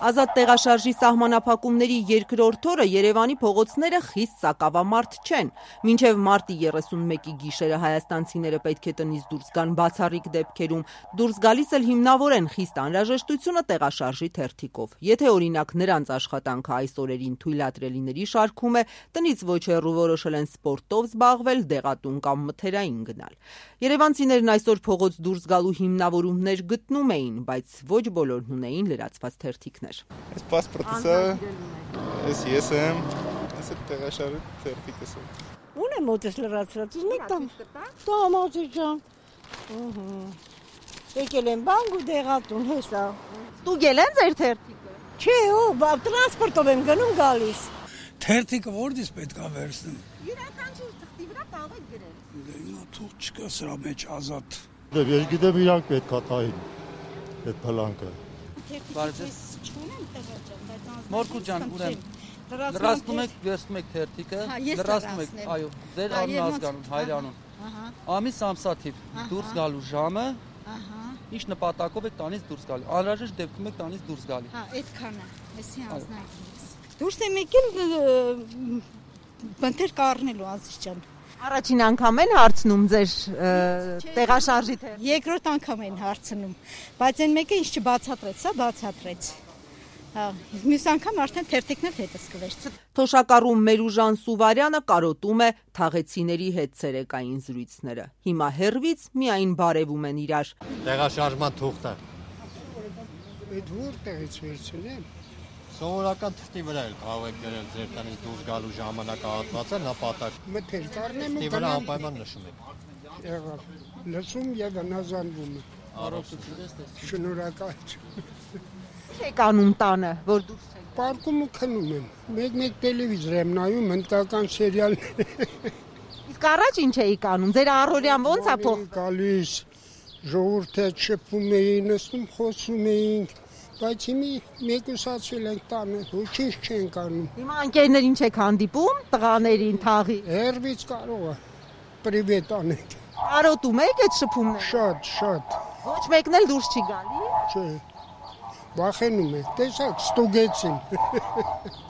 Ազատ տեղաշարժի սահմանափակումների երկրորդ օրը Երևանի փողոցները խիստ սակավամարդ չեն։ Մինչև մարտի 31-ի գիշերը հայաստանցիները պետք է տնից դուրս գան բացառիկ դեպքերում։ Դուրս գալիս էլ հիմնավորեն խիստ անհրաժեշտությունը տեղաշարժի թերթիկով։ Եթե օրինակ նրանց աշխատանքը այս օրերին թույլատրելիների շարքում է, տնից ոչ հեռու որոշել են սպորտով զբաղվել, դեղատուն կամ մթերային գնալ։ Երևանցիներն այսօր փողոց դուրս գալու հիմնավորումներ գտնում էին, բայց ոչ բոլորն ունեին լրացված թերթիկներ։ Այս պասպորտս է, ես եմ, այս է տեղաշարժի թերթիկս է։ Ունեմ մոտս լրացրած, ուզում տամ։ Տամ աղջի ջան։ Եկել եմ բանկ ու դեղատուն հեսա։ Ստուգել են ձեր թերթիկը։ Չէ, տրանսպորտով եմ գնում գալիս։ Թերթիկը որտից պետք է վերցնեմ։ Յուրաքանչյուր թղթի վրա կարող եք գրել։ Նա թող չկա սրա մեջ ազատ։ Ես գիտեմ իրանք պետք է տային այդ փլանկը։ Մորկու ջան, ուրեմն լրացնում եք, վերցնում եք թերթիկը, լրացնում եք, այո, ձեր անուն ազգանուն, հայրանուն։ Ամիս ամսաթիվ դուրս գալու ժամը, ինչ նպատակով եք տանից դուրս գալու։ Անհրաժեշտ դեպքում եք տանից դուրս գալի։ Հա, այդքան է, էսի անձնակից։ Դուրս եմ եկել բնթեր կառնելու ազիզ ջան։ Առաջին անգամ են հարցնում ձեր տեղաշարժի թերթիկը։ Երկրորդ անգամ են հարցնում, բայց այն մեկը ինչ չբացատրեց, սա բացատրեց։ Հա, մյուս անգամ արդեն թերթիկներ հետս կվերցնի։ Թոշակառու Մերուժան Սուվարյանը կարոտում է թաղեցիների հետ ցերեկային զրույցները։ Հիմա հեռվից միայն բարևում են իրար։ Տեղաշարժման թուղթը։ Այդ որտեղից վերցնեմ։ Սովորական թղթի վրա էլ կարող եք գրել ձեր տնից դուրս գալու ժամանակահատվածը, նպատակ։ Մթեր կառնեմ ու Թղթի վրա անպայման նշում եք։ եղավ։ Լսում եւ հնազանդվում եմ։ Շնորհակալ։ Եք անում տանը, որ դուրս եք։ Պարկում ու քնում եմ։ Մեկ տելևիզոր եմ նայում, հնդկական սերիալներ։ Իսկ առաջ ինչ էիք անում։ Ձեր առօրյան ո՞նց է փոխ։ Գալիս ժողովուրդը շփվում էին, նստում խոսում էինք, բայց հիմի մեկուսացվել ենք տանը, ոչինչ չենք անում։ Հիմա ընկերներ ինչ եք հանդիպում, տղաներին, թաղի։ Հերվից կարող է պրիվետ անենք։ Կարոտում եք այդ շփումները։ Շատ։ Ոչ մեկն էլ դուրս չի գալի։ Չէ։ Վախենում եք, տեսակ, ստուգեցին։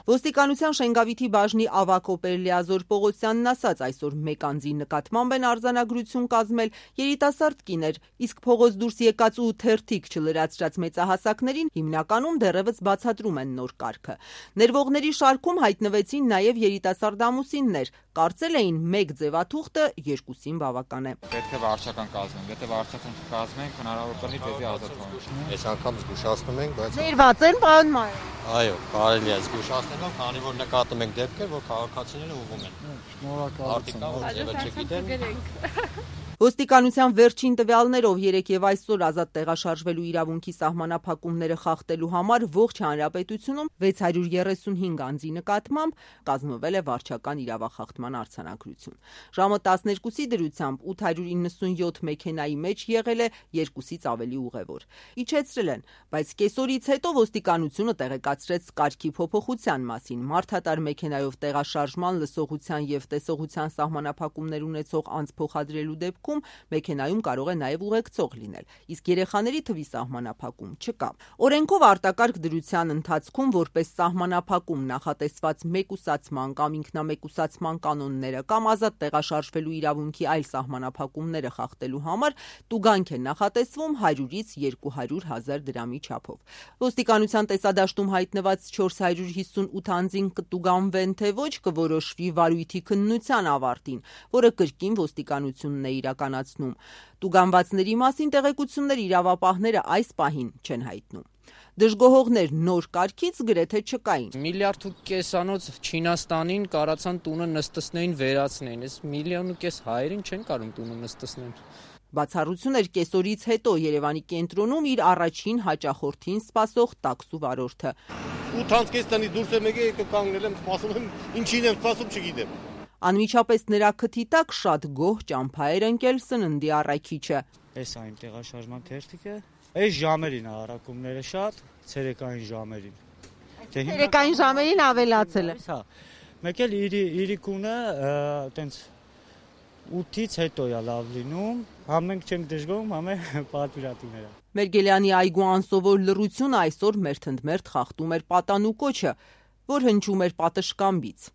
Ոստիկանության Շենգավիթի բաժնի ավագ օպերլիազոր Պողոսյանն ասաց, այսօր մեկ անձի նկատմամբ են արձանագրություն կազմել երիտասարդ կիներ, իսկ փողոց դուրս եկած ու թերթիկ չլրացրած մեծահասակներին հիմնականում դեռևս բացատրում են նոր կարգը։ Ներվողների շարքում հայտնվեցին նաև երիտասարդ ամուսիններ, կարծել էին մեկ ձևաթուղթը երկուսին բավական է։ Պետք է վարչական կազմենք, եթե վարչական կազմենք, հնարավոր կլինի դեպի ազատվենք։ Այս անգամ զգուշացնում ենք, բայց Ներված են, պարոն Մայր։ այո, կարելի է զգուշացնել, քանի որ նկատում ենք դեպքեր, որ քաղաքացիները ուղղում են։ Շնորհակալություն։ Ոստիկանության վերջին տվյալներով 3 եւ այսօր ազատ տեղաշարժվելու իրավունքի սահմանափակումները խախտելու համար ողջ հանրապետությունում 635 անձի նկատմամբ կազմվել է վարչական իրավախախտման արձանագրություն։ Ժամը 12-ի դրությամբ 897 մեքենայի մեջ եղել է 2-ից ավելի ուղևոր։ Իջեցրել են, բայց կեսօրից հետո ոստիկանությունը տեղեկացրեց կարգի փոփոխության մասին։ Մարդատար մեքենայով տեղաշարժման, լսողության եւ տեսողության սահմանափակումներ ունեցող անձ փոխադրելու դեպքում մեքենայում կարող է նաև ուղեկցող լինել, իսկ երեխաների թվի սահմանափակում չկա։ Օրենքով արտակարգ դրության ընթացքում որպես սահմանափակում նախատեսված մեկուսացման կամ ինքնամեկուսացման կանոնները կամ ազատ տեղաշարժվելու իրավունքի այլ սահմանափակումները խախտելու համար տուգանք է նախատեսվում 100-ից 200 հազար դրամի չափով։ Ոստիկանության տեսադաշտում հայտնված 458 անձին կտուգանվեն, թե ոչ կորոշվի վարույթի քննության ավարտին, որը կրկին ոստիկանությունն է իրականացնում։ Տուգանվածների մասին տեղեկություններ իրավապահները այս պահին չեն հայտնում։ Դժգոհողներ նոր կարգից գրեթե չկային։ 1.5 միլիարդանոց Չինաստանին կարացան տունը նստեցնեին վերացնեին, այս 1.5 միլիոն հայերին չեն կարող տունը նստեցնել։ Բացառություն էր կեսօրից հետո Երևանի կենտրոնում իր առաջին հաճախորդին սպասող տաքսու վարորդը։ 8-ից տնից դուրս եմ եկել, կանգնել եմ, սպասում եմ, ինչին եմ սպասում, չգիտեմ։ Անմիջապես նրա քթի տակ շատ գոհ ճամփա էր ընկել սննդի առաքիչը։ Էս այն տեղաշարժման թերթիկը, այս ժամերին առաքումները շատ, ցերեկային ժամերին։ Ցերեկային ժամերին ավելացել է։ Հա։ Մեկ էլ իրիկունը տենց 8-ից հետո է լավ լինում, համ մենք չենք դժգոհում, համ պատվիրատուները։ Մերգելյանի այգու անսովոր լռությունը այսօր մերթընդմերթ խախտում էր պատանու կոչը, որ հնչում էր պատշգամբից։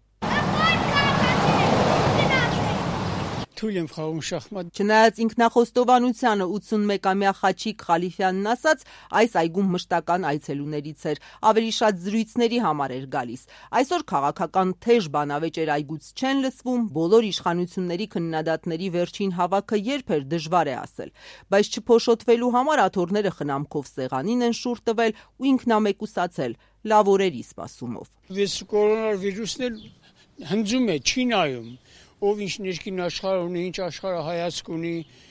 Թույլ եմ խաղում շախմատ։ Չնայած ինքնախոստովանությանը 81-ամյա Խաչիկ Խալիֆյանն ասաց, այս այգում մշտական այցելուներից էր, ավելի շատ զրույցների համար էր գալիս։ Այսօր քաղաքական թեժ բանավեճ էր այգուց չեն լսվում, բոլոր իշխանությունների քննադատների վերջին հավաքը երբ էր դժվար է ասել, բայց չփոշոտվելու համար աթոռները խնամքով սեղանին են շուռ տվել ու ինքնամեկուսացել լավ օրերի սպասումով։ Կորոնավիրուսն էլ հնձում է, չի նայում, ով ինչ ներքին աշխարհ ունի, ինչ աշխարհ հայացք ունի,